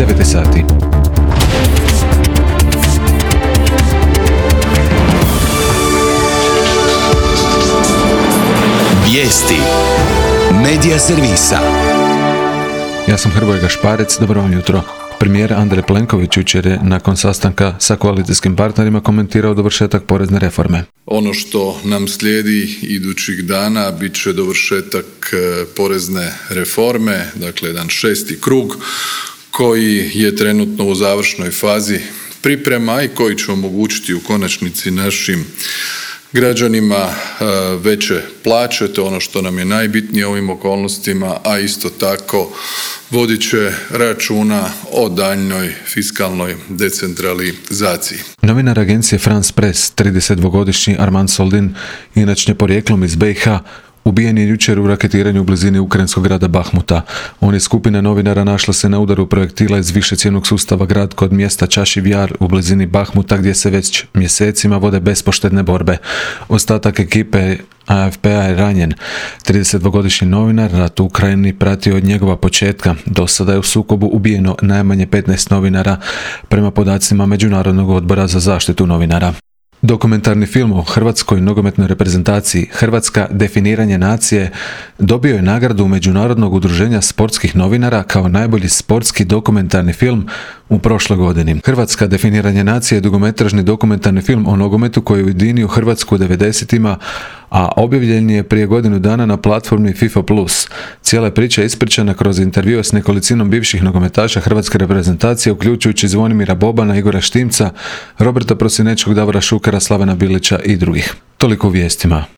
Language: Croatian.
9 sati. Vijesti Medija servisa. Ja sam Hrvoje Gašparec, dobro vam jutro. Premijer Andrej Plenković jučer je nakon sastanka sa koalicijskim partnerima komentirao dovršetak porezne reforme. Ono što nam slijedi idućih dana bit će dovršetak porezne reforme, dakle jedan 6. krug koji je trenutno u završnoj fazi priprema i koji će omogućiti u konačnici našim građanima veće plaće, to je ono što nam je najbitnije u ovim okolnostima, a isto tako vodit će računa o daljnjoj fiskalnoj decentralizaciji. Novinar agencije France Press, 32-godišnji Armand Soldin, inače porijeklom iz BiH, ubijen je jučer u raketiranju u blizini ukrajinskog grada Bahmuta. On je skupina novinara našla se na udaru projektila iz višecjevnog sustava Grad kod mjesta Čašiv Jar u blizini Bahmuta, gdje se već mjesecima vode bespoštedne borbe. Ostatak ekipe AFP-a je ranjen. 32-godišnji novinar rat u Ukrajini pratio od njegova početka. Do sada je u sukobu ubijeno najmanje 15 novinara, prema podacima Međunarodnog odbora za zaštitu novinara. Dokumentarni film o hrvatskoj nogometnoj reprezentaciji Hrvatska definiranje nacije dobio je nagradu Međunarodnog udruženja sportskih novinara kao najbolji sportski dokumentarni film u prošloj godini. Hrvatska definiranje nacije je dugometražni dokumentarni film o nogometu koji je ujedinio Hrvatsku u 90-ima, a objavljen je prije godinu dana na platformi FIFA+. Cijela priča je ispričana kroz intervjue s nekolicinom bivših nogometaša hrvatske reprezentacije, uključujući Zvonimira Bobana, Igora Štimca, Roberta Prosinečkog, Davora Šukera, Slavena Bilića i drugih. Toliko u vijestima.